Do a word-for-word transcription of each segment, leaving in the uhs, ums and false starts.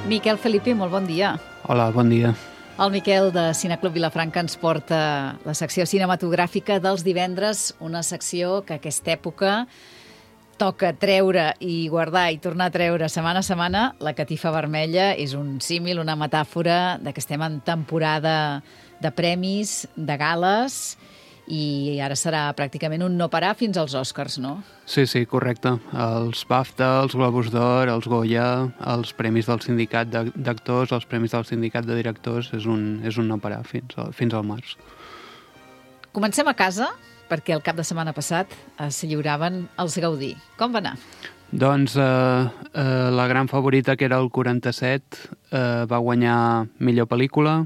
Miquel Felipe, molt bon dia. Hola, bon dia. El Miquel de Cineclub Vilafranca ens porta la secció cinematogràfica dels divendres, una secció que aquesta època toca treure i guardar i tornar a treure setmana a setmana. La catifa vermella és un símil, una metàfora de que estem en temporada de premis, de gales, i ara serà pràcticament un no parar fins als Oscars, no? Sí, sí, correcte. Els BAFTA, els Globus d'Or, els Goya, els premis del sindicat d'actors, els premis del sindicat de directors, és un, és un no parar fins, a, fins al març. Comencem a casa, perquè el cap de setmana passat es lliuraven els Gaudí. Com va anar? Doncs eh, eh, la gran favorita, que era el quaranta-set, eh, va guanyar millor pel·lícula.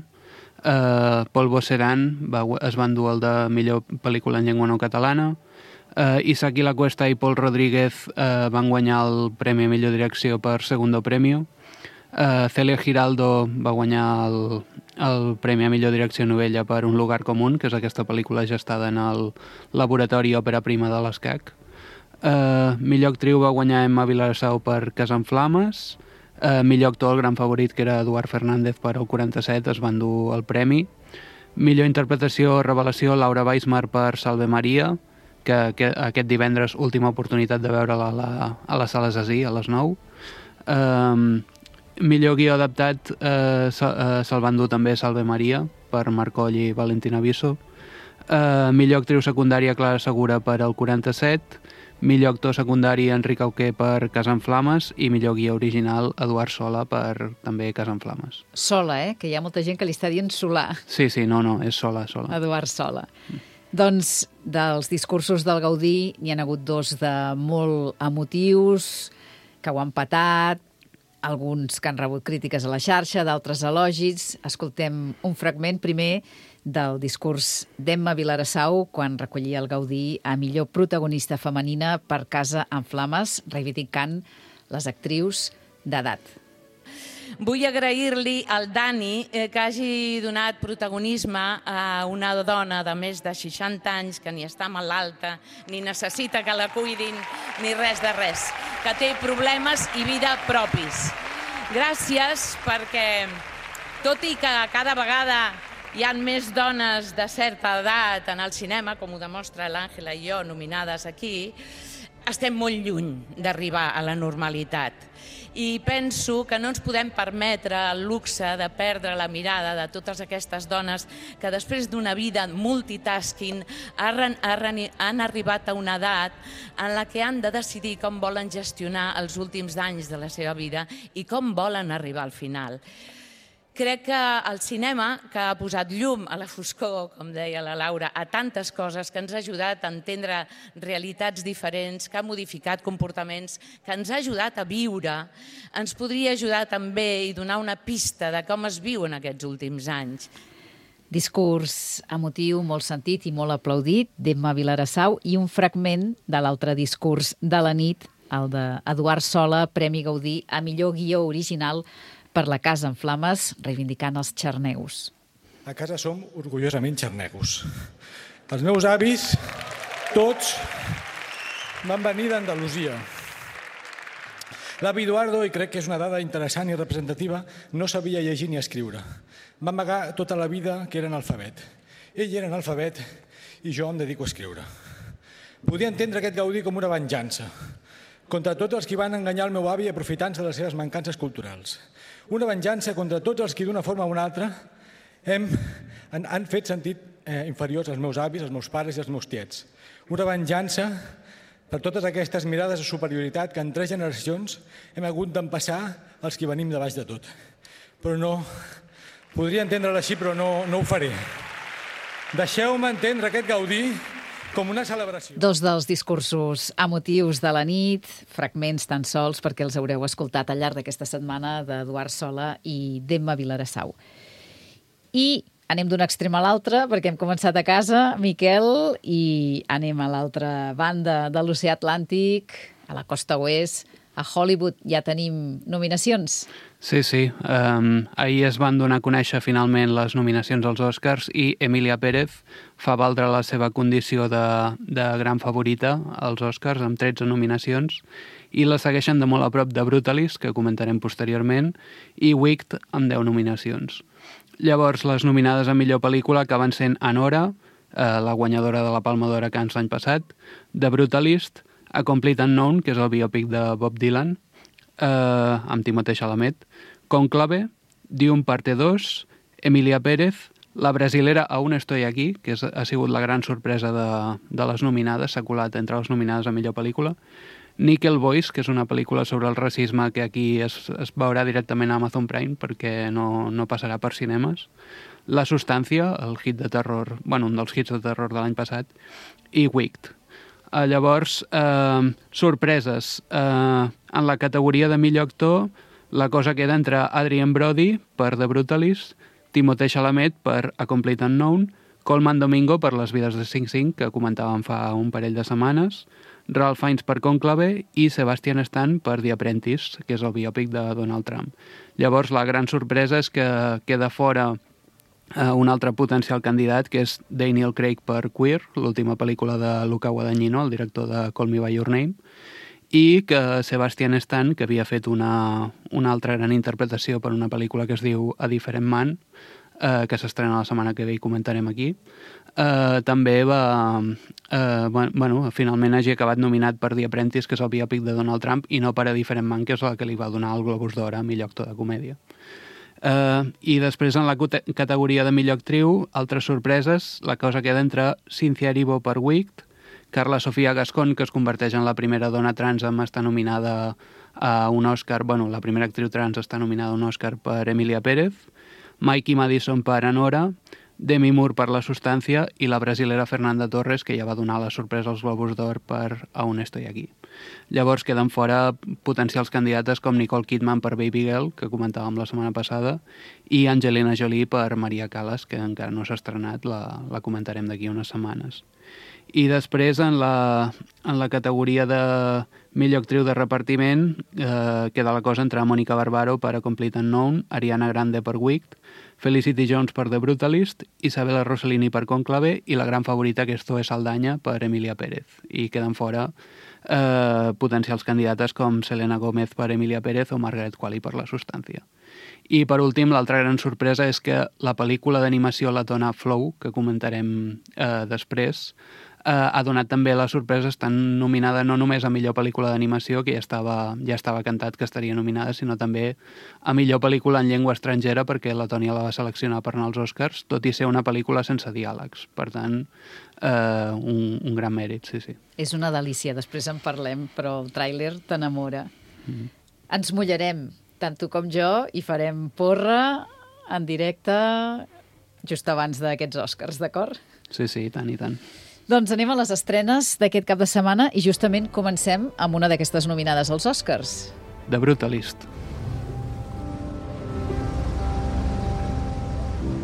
Uh, Paul Boceran va, es va endur el de millor pel·lícula en llengua no catalana. uh, Isaki La Cuesta i Paul Rodríguez uh, van guanyar el premi a millor direcció per Segundo Premio. uh, Celia Giraldo va guanyar el, el premi a millor direcció novella per Un lugar común, que és aquesta pel·lícula gestada en el laboratori òpera prima de l'Escac. uh, Millor actriu va guanyar Emma Vilarsau per Casa en Flames. Uh, millor actor, el gran favorit, que era Eduard Fernández per el quaranta-set, es va endur el premi. Millor interpretació, revelació, Laura Weismar per Salve Maria, que, que aquest divendres última oportunitat de veure-la a, la, a les sales Así, a les nou. Um, millor guió adaptat, uh, se, uh, se'l va endur també Salve Maria per Marc Coll i Valentina Viso. Uh, millor actriu secundària, Clara Segura per el quaranta-set. Millor actor secundari, Enric Auqué per Casa en Flames, i millor guió original, Eduard Sola per també Casa en Flames. Sola, eh? Que hi ha molta gent que li està dient Solà. Sí, sí, no, no, és Sola, Sola. Eduard Sola. Mm. Doncs dels discursos del Gaudí n'hi ha hagut dos de molt emotius, que ho han patat, alguns que han rebut crítiques a la xarxa, d'altres elogis. Escoltem un fragment primer del discurs d'Emma Vilarsau quan recollia el Gaudí a millor protagonista femenina per Casa en Flames, reivindicant les actrius d'edat. Vull agrair-li al Dani eh, que hagi donat protagonisme a una dona de més de seixanta anys que ni està malalta, ni necessita que la cuidin, ni res de res, que té problemes i vida propis. Gràcies perquè, tot i que cada vegada hi ha més dones de certa edat en el cinema, com ho demostra l'Àngela i jo, nominades aquí, estem molt lluny d'arribar a la normalitat. I penso que no ens podem permetre el luxe de perdre la mirada de totes aquestes dones que després d'una vida multitasking han arribat a una edat en la que han de decidir com volen gestionar els últims anys de la seva vida i com volen arribar al final. Crec que el cinema, que ha posat llum a la foscor, com deia la Laura, a tantes coses, que ens ha ajudat a entendre realitats diferents, que ha modificat comportaments, que ens ha ajudat a viure, ens podria ajudar també i donar una pista de com es viu en aquests últims anys. Discurs emotiu, molt sentit i molt aplaudit d'Emma Vilarsau, i un fragment de l'altre discurs de la nit, el d'Eduard Sola, Premi Gaudí a millor guió original per la Casa en Flames, reivindicant els xarneus. A casa som orgullosament xarnegos. Els meus avis, tots, van venir d'Andalusia. L'avi Eduardo, i crec que és una dada interessant i representativa, no sabia llegir ni escriure. Va amagar tota la vida que era analfabet. Ell era analfabet i jo em dedico a escriure. Podia entendre aquest Gaudí com una venjança contra tots els que van enganyar el meu avi aprofitant-se de les seves mancances culturals. Una venjança contra tots els que d'una forma o una altra hem, han, han fet sentit eh, inferiors als meus avis, als meus pares i als meus tiets. Una venjança per totes aquestes mirades de superioritat que en tres generacions hem hagut d'empassar els que venim de baix de tot. Però no, podria entendre-la així, però no, no ho faré. Deixeu-me entendre aquest Gaudí com una celebració. Dos dels discursos emotius de la nit, fragments tan sols perquè els haureu escoltat al llarg d'aquesta setmana d'Eduard Sola i d'Emma Vilarsau. I anem d'un extrem a l'altre, perquè hem començat a casa, Miquel, i anem a l'altra banda de l'oceà Atlàntic, a la costa oest, a Hollywood. Ja tenim nominacions. Sí, sí. Um, ahir es van donar a conèixer finalment les nominacions als Oscars i Emilia Pérez fa valdre la seva condició de, de gran favorita als Oscars amb tretze nominacions i la segueixen de molt a prop de Brutalist, que comentarem posteriorment, i Wicked, amb deu nominacions. Llavors, les nominades a millor pel·lícula acaben sent Anora, eh, la guanyadora de la Palma d'Or a Cannes l'any passat, The Brutalist, A Complete Unknown, que és el biòpic de Bob Dylan, eh, amb Timothée Chalamet, Conclave, Dune Parte dos, Emilia Pérez, la brasilera Aún estoy aquí, que és, ha sigut la gran sorpresa de, de les nominades, s'ha colat entre les nominades a millor pel·lícula, Nickel Boys, que és una pel·lícula sobre el racisme que aquí es, es veurà directament a Amazon Prime perquè no, no passarà per cinemes, La Substància, el hit de terror, bueno, un dels hits de terror de l'any passat, i Wicked. Uh, llavors, uh, sorpreses. Uh, en la categoria de millor actor, la cosa queda entre Adrien Brody per The Brutalist, Timothée Chalamet per A Complete Unknown, Colman Domingo per Les vides de Sing Sing, que comentàvem fa un parell de setmanes, Ralph Fiennes per Conclave i Sebastian Stan per The Apprentice, que és el biòpic de Donald Trump. Llavors, la gran sorpresa és que queda fora uh, un altre potencial candidat, que és Daniel Craig per Queer, l'última pel·lícula de Luca Guadagnino, el director de Call Me By Your Name, i que Sebastian Stan, que havia fet una, una altra gran interpretació per una pel·lícula que es diu A Different Man, eh, que s'estrena la setmana que ve i comentarem aquí, eh, també va... Eh, bueno, finalment hagi acabat nominat per The Apprentice, que és el biòpic de Donald Trump, i no per A Different Man, que és la que li va donar el Globus d'Or a millor actor de comèdia. Uh, I després, en la categoria de millor actriu, altres sorpreses, la cosa queda entre Cynthia Erivo per Wicked, Carla Sofia Gascon, que es converteix en la primera dona trans amb estar nominada a un Òscar, bueno, la primera actriu trans està nominada a un Òscar per Emilia Pérez, Mikey Madison per Anora, Demi Moore per La Substància i la brasilera Fernanda Torres, que ja va donar la sorpresa als Globus d'Or per Aún estoy aquí. Llavors queden fora potencials candidates com Nicole Kidman per Baby Girl, que comentàvem la setmana passada, i Angelina Jolie per Maria Callas, que encara no s'ha estrenat, la, la comentarem d'aquí unes setmanes. I després, en la, en la categoria de millor actriu de repartiment, eh, queda la cosa entre Mónica Barbaro per A Complete Unknown, Ariana Grande per Wicked, Felicity Jones per The Brutalist, Isabella Rossellini per Conclave i la gran favorita, que és Zoe Saldaña, per Emilia Pérez. I queden fora eh, potencials candidates com Selena Gómez per Emilia Pérez o Margaret Qualley per La Substància. I per últim, l'altra gran sorpresa és que la pel·lícula d'animació letona Flow, que comentarem eh, després, eh, ha donat també la sorpresa, estant nominada no només a millor pel·lícula d'animació, que ja estava, ja estava cantat que estaria nominada, sinó també a millor pel·lícula en llengua estrangera, perquè Letònia la va seleccionar per anar als Oscars, tot i ser una pel·lícula sense diàlegs. Per tant, eh, un, un gran mèrit, sí, sí. És una delícia, després en parlem, però el tràiler t'enamora. Mm. Ens mullarem, tant tu com jo, i farem porra en directe just abans d'aquests Oscars, d'acord? Sí, sí, tant i tant. Doncs anem a les estrenes d'aquest cap de setmana i justament comencem amb una d'aquestes nominades als Oscars. The Brutalist.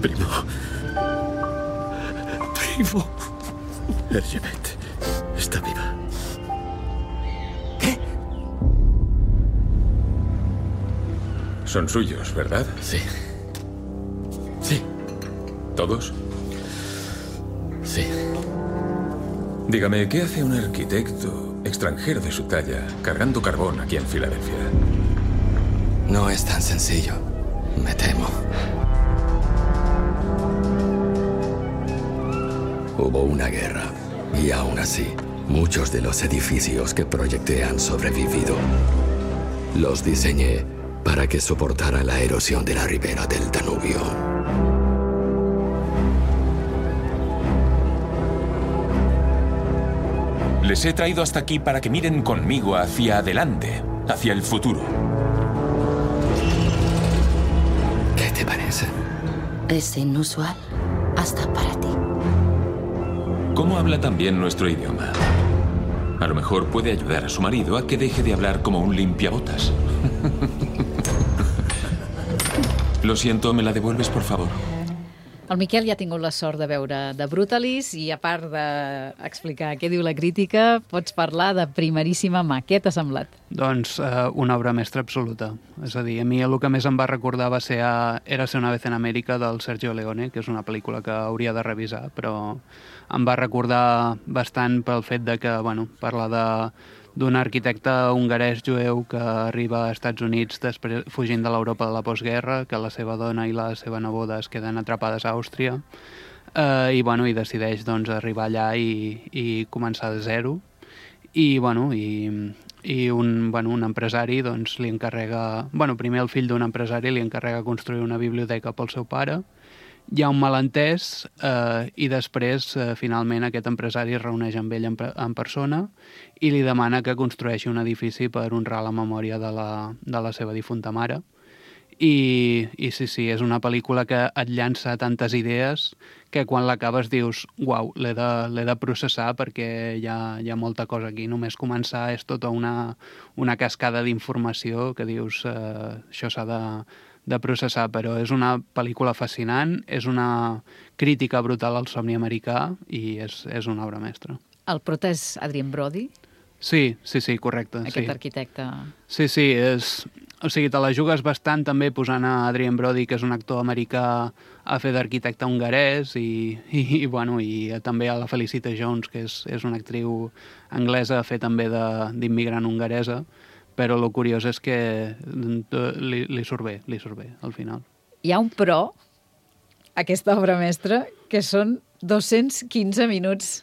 Primo. Primo. Herjebet está viva. ¿Qué? Son suyos, ¿verdad? Sí. Sí. ¿Todos? Sí. Dígame, ¿qué hace un arquitecto extranjero de su talla cargando carbón aquí en Filadelfia? No es tan sencillo, me temo. Hubo una guerra y aún así, muchos de los edificios que proyecté han sobrevivido. Los diseñé para que soportaran la erosión de la ribera del Danubio. Les he traído hasta aquí para que miren conmigo hacia adelante, hacia el futuro. ¿Qué te parece? Es inusual, hasta para ti. ¿Cómo habla también nuestro idioma? A lo mejor puede ayudar a su marido a que deje de hablar como un limpiabotas. Lo siento, ¿me la devuelves, por favor? El Miquel ja ha tingut la sort de veure The Brutalist i, a part d'explicar què diu la crítica, pots parlar de primeríssima mà. Què t'ha semblat? Doncs eh, una obra mestra absoluta. És a dir, a mi el que més em va recordar va ser a Érase una vez en Amèrica, del Sergio Leone, que és una pel·lícula que hauria de revisar, però em va recordar bastant pel fet de que, bueno, parla de d'un arquitecte hongarès jueu que arriba a Estats Units després, fugint de l'Europa de la postguerra, que la seva dona i la seva neboda es queden atrapades a Àustria, eh, i, bueno, i decideix doncs, arribar allà i, i començar de zero. I, bueno, i, i un, bueno, un empresari doncs, li encarrega... Bueno, primer el fill d'un empresari li encarrega construir una biblioteca pel seu pare. Hi ha un malentès eh, i després, eh, finalment, aquest empresari es reuneix amb ell en, en persona i li demana que construeixi un edifici per honrar la memòria de la, de la seva difunta mare. I, i sí, sí, és una pel·lícula que et llança tantes idees que quan l'acabes dius, uau, l'he de, l'he de processar perquè hi ha, hi ha molta cosa aquí. Només començar és tota una, una cascada d'informació que dius, eh, això s'ha de... de processar, però és una pel·lícula fascinant, és una crítica brutal al somni americà i és, és una obra mestra. El prota és Adrien Brody? Sí, sí, sí, correcte. Aquest sí. arquitecte... Sí, sí, és... O sigui, te la jugues bastant també posant a Adrien Brody, que és un actor americà, a fer d'arquitecte hongarès i, i, i, bueno, i també a la Felicity Jones, que és, és una actriu anglesa, a fer també d'immigrant hongaresa, però el curiós és que li, li surt bé, li surt bé, al final. Hi ha un però, aquesta obra mestra, que són dos-cents quinze minuts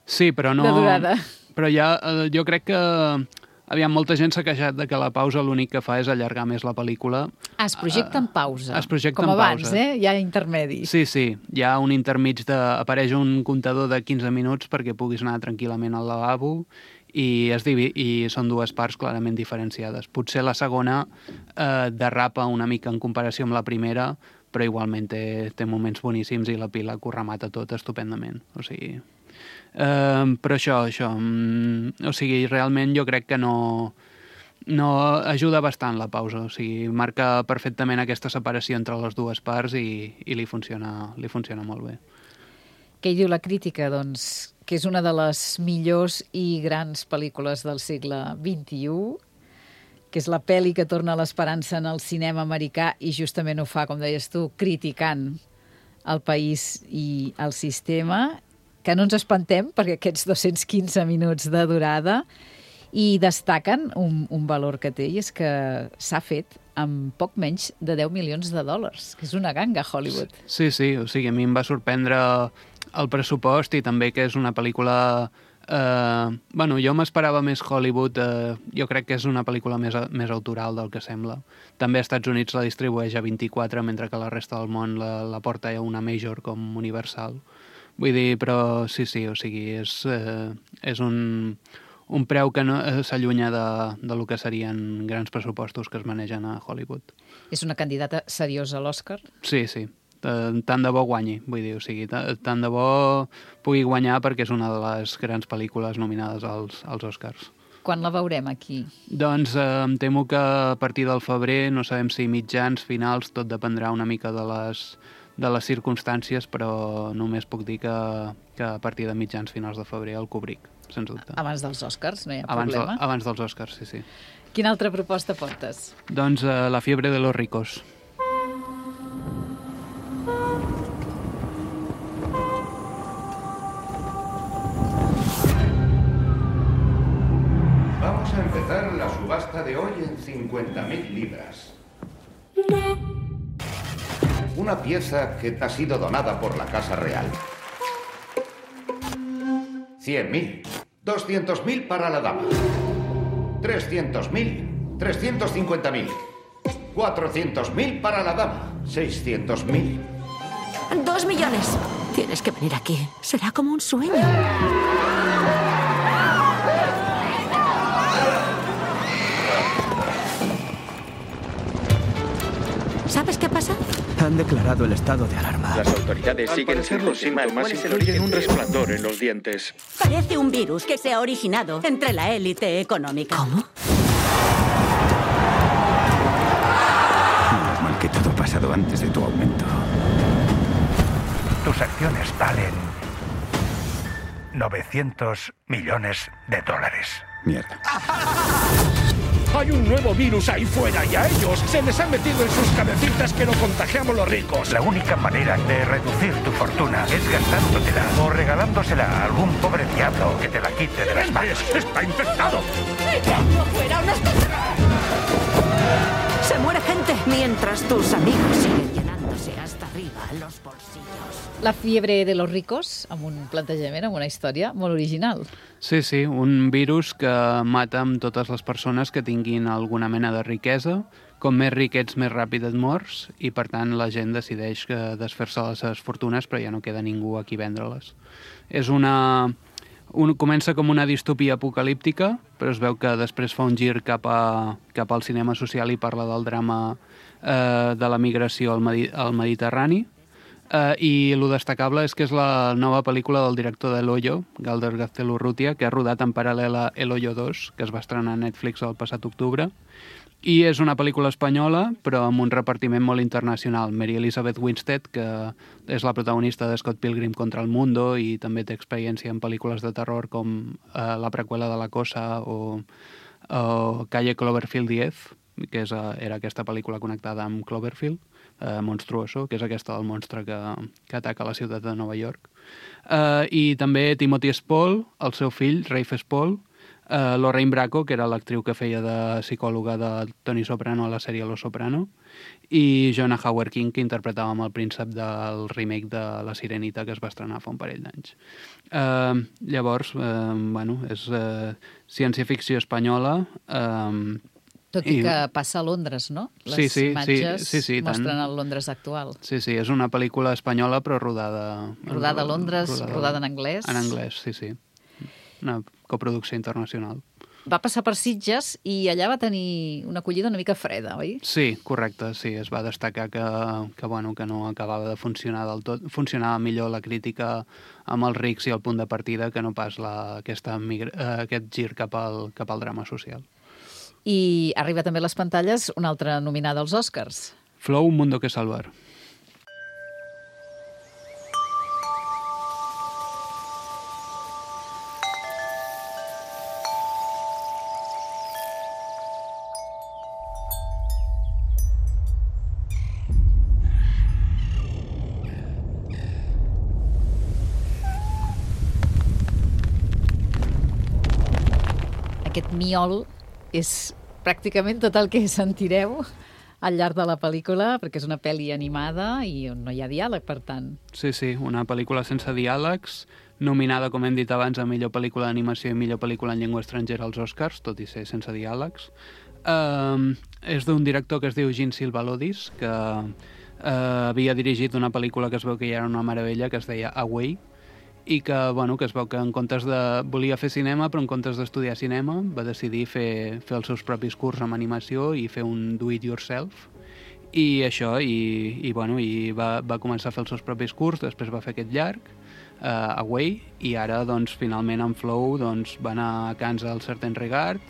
sí, però no, de durada. Però ja, jo crec que aviam, molta gent s'ha queixat de que la pausa l'únic que fa és allargar més la pel·lícula. Ah, es projecta en pausa. Es projecta com en abans, pausa. eh? Hi ha intermedis. Sí, sí, hi ha un intermig de... Apareix un comptador de quinze minuts perquè puguis anar tranquil·lament al lavabo i, es divi... i són dues parts clarament diferenciades. Potser la segona eh, derrapa una mica en comparació amb la primera, però igualment té, té moments boníssims i la pila que ho remata tot estupendament. O sigui... Eh, però això, això... Mm, o sigui, realment jo crec que no... no ajuda bastant la pausa. O sigui, marca perfectament aquesta separació entre les dues parts i, i li, funciona, li funciona molt bé. Què hi diu la crítica? Doncs que és una de les millors i grans pel·lícules del segle vint-i-u, que és la pel·li que torna l'esperança en el cinema americà i justament ho fa, com deies tu, criticant el país i el sistema, que no ens espantem perquè aquests dos-cents quinze minuts de durada i destaquen un, un valor que té i és que s'ha fet amb poc menys de deu milions de dòlars, que és una ganga a Hollywood. Sí, sí, o sigui, a mi em va sorprendre el pressupost i també que és una pel·lícula... Eh, bueno, jo m'esperava més Hollywood, eh, jo crec que és una pel·lícula més, més autoral del que sembla. També als Estats Units la distribueix a vint-i-quatre, mentre que la resta del món la, la porta a una major com Universal. Vull dir, però sí, sí, o sigui, és, eh, és un, un preu que no, eh, s'allunya de, de lo que serien grans pressupostos que es manegen a Hollywood. És una candidata seriosa a l'Oscar? Sí, sí. Tant de bo guanyi, vull dir, o sigui, tant de bo pugui guanyar perquè és una de les grans pel·lícules nominades als, als Oscars. Quan la veurem aquí? Doncs eh, em temo que a partir del febrer, no sabem si mitjans, finals, tot dependrà una mica de les, de les circumstàncies, però només puc dir que, que a partir de mitjans, finals de febrer el cobric, sens dubte. Abans dels Oscars, no hi ha abans problema? De, abans dels Oscars, sí, sí. Quina altra proposta portes? Doncs eh, La fiebre de los ricos. Vamos a empezar la subasta de hoy en cincuenta mil libras. Una pieza que ha sido donada por la Casa Real. cien mil. doscientos mil para la dama. trescientos mil. trescientos cincuenta mil. cuatrocientos mil para la dama. seiscientos mil. Dos millones. Tienes que venir aquí. Será como un sueño. ¿Sabes qué pasa? Han declarado el estado de alarma. Las autoridades siguen los síntomas y incluyen un resplandor en los dientes. Parece un virus que se ha originado entre la élite económica. ¿Cómo? Menos mal que todo ha pasado antes de tu aumento. Tus acciones valen novecientos millones de dólares. Mierda. Hay un nuevo virus ahí fuera y a ellos se les ha metido en sus cabecitas que lo contagiamos los ricos. La única manera de reducir tu fortuna es gastándotela o regalándosela a algún pobre diablo que te la quite de las manos. ¡Está infectado! ¡Echadlo fuera! ¡Unos... Se muere gente mientras tus amigos siguen llenándose hasta arriba los bolsillos. La fiebre de los ricos, amb un plantejament, amb una història molt original. Sí, sí, un virus que mata amb totes les persones que tinguin alguna mena de riquesa. Com més ric ets, més ràpid et mors, i per tant la gent decideix desfer-se les seves fortunes, però ja no queda ningú a qui vendre-les. És una... Un, comença com una distopia apocalíptica, però es veu que després fa un gir cap, a, cap al cinema social i parla del drama eh, de la migració al, Medi al Mediterrani. Eh, I el destacable és que és la nova pel·lícula del director de El Hoyo, Galder Gaztelu-Urrutia, que ha rodat en paral·lel a El Hoyo dos, que es va estrenar a Netflix el passat octubre. I és una pel·lícula espanyola, però amb un repartiment molt internacional. Mary Elizabeth Winstead, que és la protagonista de Scott Pilgrim contra el Mundo i també té experiència en pel·lícules de terror com eh, la preqüela de La Cosa o, o Calle Cloverfield diez, que és, era aquesta pel·lícula connectada amb Cloverfield, eh, Monstruoso, que és aquesta del monstre que, que ataca la ciutat de Nova York. Eh, I també Timothy Spall, el seu fill, Rafe Spall, Uh, Lorraine Bracco, que era l'actriu que feia de psicòloga de Tony Soprano a la sèrie Los Soprano, i Jonah Howard King, que interpretava amb el príncep del remake de La Sirenita, que es va estrenar fa un parell d'anys. Uh, llavors, uh, bueno, és uh, ciència-ficció espanyola. Uh, Tot i, i que passa a Londres, no? Les sí, sí, imatges sí, sí, sí, mostren tant. El Londres actual. Sí, sí, és una pel·lícula espanyola, però rodada... Rodada a Londres, rodada, rodada en anglès. En anglès, sí, sí. Una coproducció internacional. Va passar per Sitges i allà va tenir una acollida una mica freda, oi? Sí, correcte, sí. Es va destacar que, que, bueno, que no acabava de funcionar del tot. Funcionava millor la crítica amb els rics i el punt de partida que no pas la, aquesta, aquest gir cap al, cap al drama social. I arriba també a les pantalles una altra nominada als Oscars. Flow, Un mundo que salvar. Aquest miol és pràcticament tot el que sentireu al llarg de la pel·lícula, perquè és una pel·li animada i on no hi ha diàleg, per tant. Sí, sí, una pel·lícula sense diàlegs, nominada, com hem dit abans, a millor pel·lícula d'animació i millor pel·lícula en llengua estrangera als Oscars, tot i ser sense diàlegs. Uh, és d'un director que es diu Jean Silvalodis, que uh, havia dirigit una pel·lícula que es veu que ja era una meravella, que es deia Away, i que, bueno, que es veu que en comptes de... volia fer cinema, però en comptes d'estudiar cinema va decidir fer, fer els seus propis curs amb animació i fer un do-it-yourself. I això, i, i, bueno, i va, va començar a fer els seus propis curs, després va fer aquest llarg, uh, Away, i ara, doncs, finalment, en Flow, doncs, va anar a Cannes al Certain Regard,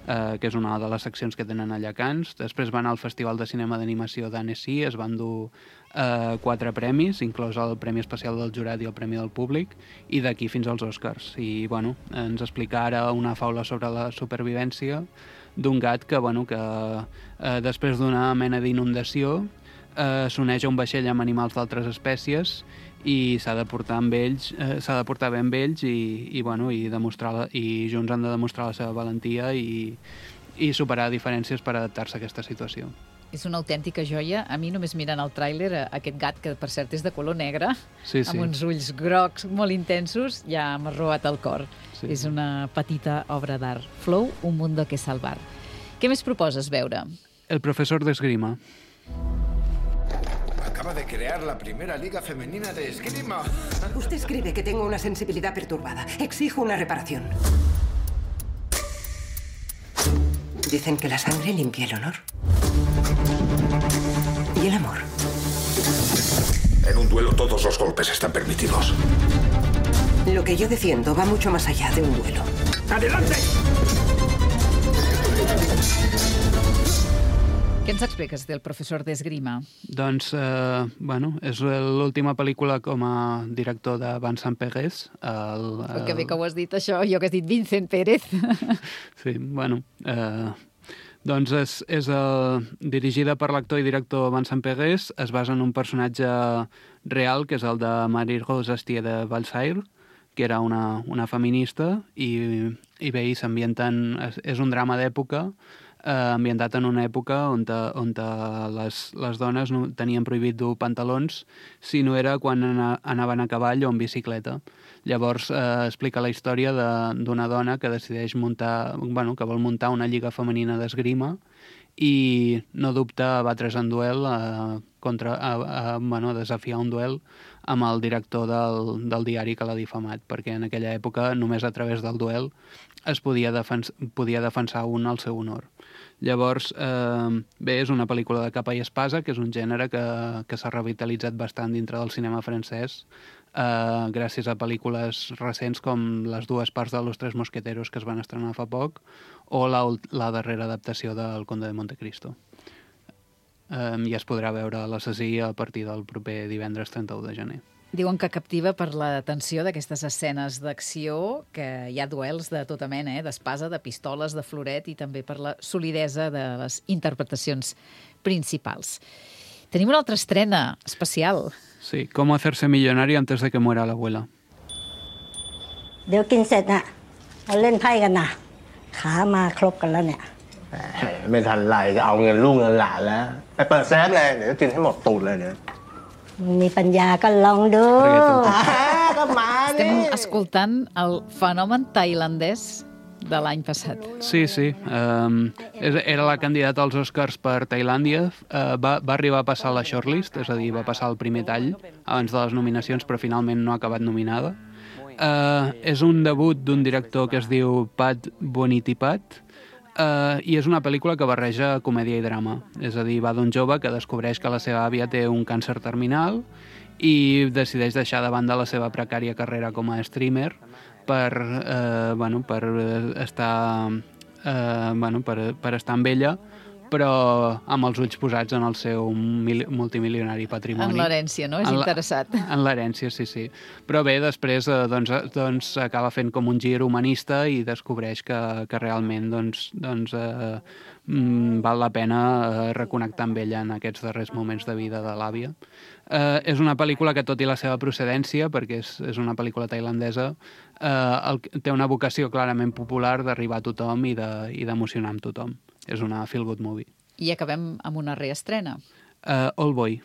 Uh, que és una de les seccions que tenen allà a Cannes. Després va anar al Festival de Cinema d'Animació d'Annecy, es van dur uh, quatre premis, inclòs el Premi Especial del Jurat i el Premi del Públic, i d'aquí fins als Oscars. I, bueno, ens explica ara una faula sobre la supervivència d'un gat que, bueno, que uh, després d'una mena d'inundació uh, s'uneix a un vaixell amb animals d'altres espècies i s'ha de portar amb ells, eh, s'ha de portar bé amb ells i, i, bueno, i, demostrar la, i junts han de demostrar la seva valentia i, i superar diferències per adaptar-se a aquesta situació. És una autèntica joia. A mi, només mirant el tràiler, aquest gat, que per cert és de color negre, sí, sí. amb uns ulls grocs molt intensos, ja m'ha robat el cor. Sí. És una petita obra d'art. Flow, Un mundo que salvar. Què més proposes veure? El profesor d'esgrima. Acaba de crear la primera liga femenina de esgrima. Usted escribe que tengo una sensibilidad perturbada. Exijo una reparación. Dicen que la sangre limpia el honor. ¿Y el amor? En un duelo todos los golpes están permitidos. Lo que yo defiendo va mucho más allá de un duelo. ¡Adelante! Què ens expliques del professor d'esgrima? Doncs, eh, bueno, és l'última pel·lícula com a director de Vincent Pérez. El, el... el... Que bé que ho has dit, això, jo que has dit Vincent Pérez. Sí, bueno, eh, Doncs és, és el, dirigida per l'actor i director Vincent Pegues, es basa en un personatge real, que és el de Marie-Rose Astier de Valsaire, que era una, una feminista, i, i bé, i s'ambienten... És, és un drama d'època, eh, ambientat en una època on, te, on te les, les dones no, tenien prohibit dur pantalons si no era quan ana, anaven a cavall o en bicicleta. Llavors eh, explica la història d'una dona que decideix muntar, bueno, que vol muntar una lliga femenina d'esgrima i no dubta a batre's en duel, a, contra, a, a, bueno, a desafiar un duel amb el director del, del diari que l'ha difamat, perquè en aquella època només a través del duel es podia, defens, podia defensar un al seu honor. Llavors, eh, bé, és una pel·lícula de capa i espasa, que és un gènere que, que s'ha revitalitzat bastant dintre del cinema francès, eh, gràcies a pel·lícules recents com les dues parts de Los Tres Mosqueteros que es van estrenar fa poc, o la, la darrera adaptació del Conde de Montecristo. Um, I es podrà veure a l'Assassí a partir del proper divendres trenta-u de gener. Diuen que captiva per la tensió d'aquestes escenes d'acció, que hi ha duels de tota mena, eh? D'espasa, de pistoles, de floret, i també per la solidesa de les interpretacions principals. Tenim una altra estrena especial. Sí, Com hacerse millonario antes de que muera la abuela. เดี๋ยวกินเสร็จน่ะเราเล่นไพ่กันนะขามาครบกันแล้วเนี่ย ไม่ทันไรจะเอาเงินลูกเงินหลานแล้วไปเปิดเซฟเลยเดี๋ยวกินให้หมดตูดเลยเนี่ย มีปัญญาก็ลองดู ก็มานี่ Estem escoltant el fenomen tailandès de l'any passat. Sí, sí. Um, era la candidata als Oscars per Tailàndia. Uh, va, va arribar a passar la shortlist, és a dir, va passar el primer tall abans de les nominacions, però finalment no ha acabat nominada. Uh, és un debut d'un director que es diu Pat Bonitipat, uh, i és una pel·lícula que barreja comèdia i drama. És a dir, va d'un jove que descobreix que la seva àvia té un càncer terminal i decideix deixar de banda la seva precària carrera com a streamer per, eh, bueno, per estar eh, bueno, per, per estar amb ella, però amb els ulls posats en el seu mil, multimilionari patrimoni. En l'herència, no? És en interessat. La, en l'herència, sí, sí. Però bé, després eh, doncs, doncs, acaba fent com un gir humanista i descobreix que, que realment doncs, doncs, eh, mm, val la pena eh, reconnectar amb ella en aquests darrers moments de vida de l'àvia. Eh, és una pel·lícula que, tot i la seva procedència, perquè és, és una pel·lícula tailandesa, eh, el, té una vocació clarament popular d'arribar a tothom i d'emocionar de, amb tothom. És una feel-good movie. I acabem amb una reestrena. Uh, Old Boy.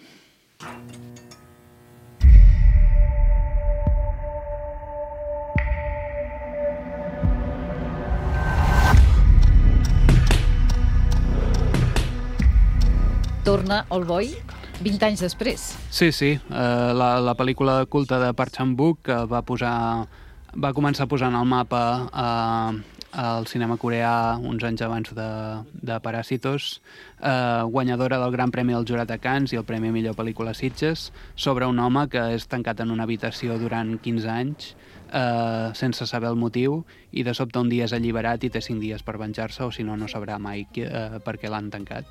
Torna Old Boy vint anys després. Sí, sí. Uh, la, la pel·lícula culta de Park Chan-wook que va posar, va començar posant al mapa uh, al cinema coreà uns anys abans de, de Paràsitos, eh, guanyadora del Gran Premi del Jurat a Cannes i el Premi a Millor Pel·lícula Sitges, sobre un home que és tancat en una habitació durant quinze anys, eh, sense saber el motiu, i de sobte un dia és alliberat i té cinc dies per venjar-se, o si no, no sabrà mai eh, per què l'han tancat.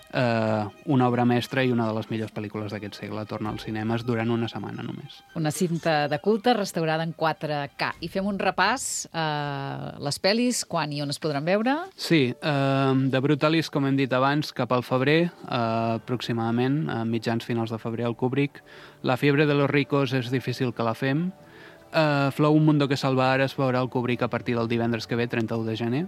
Uh, una obra mestra i una de les millors pel·lícules d'aquest segle torna als cinemes durant una setmana només. Una cinta de culte restaurada en quatre K. I fem un repàs a uh, les pel·lis, quan i on es podran veure? Sí, uh, de Brutalis, com hem dit abans, cap al febrer, uh, aproximadament, a mitjans finals de febrer al Kubrick. La fiebre de los ricos és difícil que la fem. Uh, Flow, un mundo que salvar es veurà al Kubrick a partir del divendres que ve, trenta-u de gener.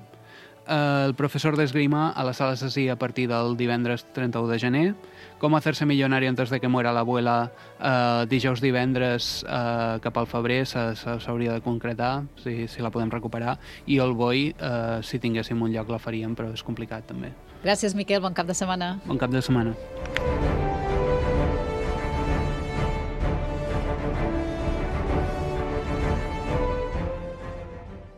Uh, el professor d'esgrima a la sala Assassí a partir del divendres trenta-u de gener. Com hacerse millonario antes de que muera l'abuela, uh, dijous divendres uh, cap al febrer s'hauria de concretar, si, si la podem recuperar, i Old Boy, uh, si tinguéssim un lloc la faríem, però és complicat també. Gràcies, Miquel, bon cap de setmana. Bon cap de setmana.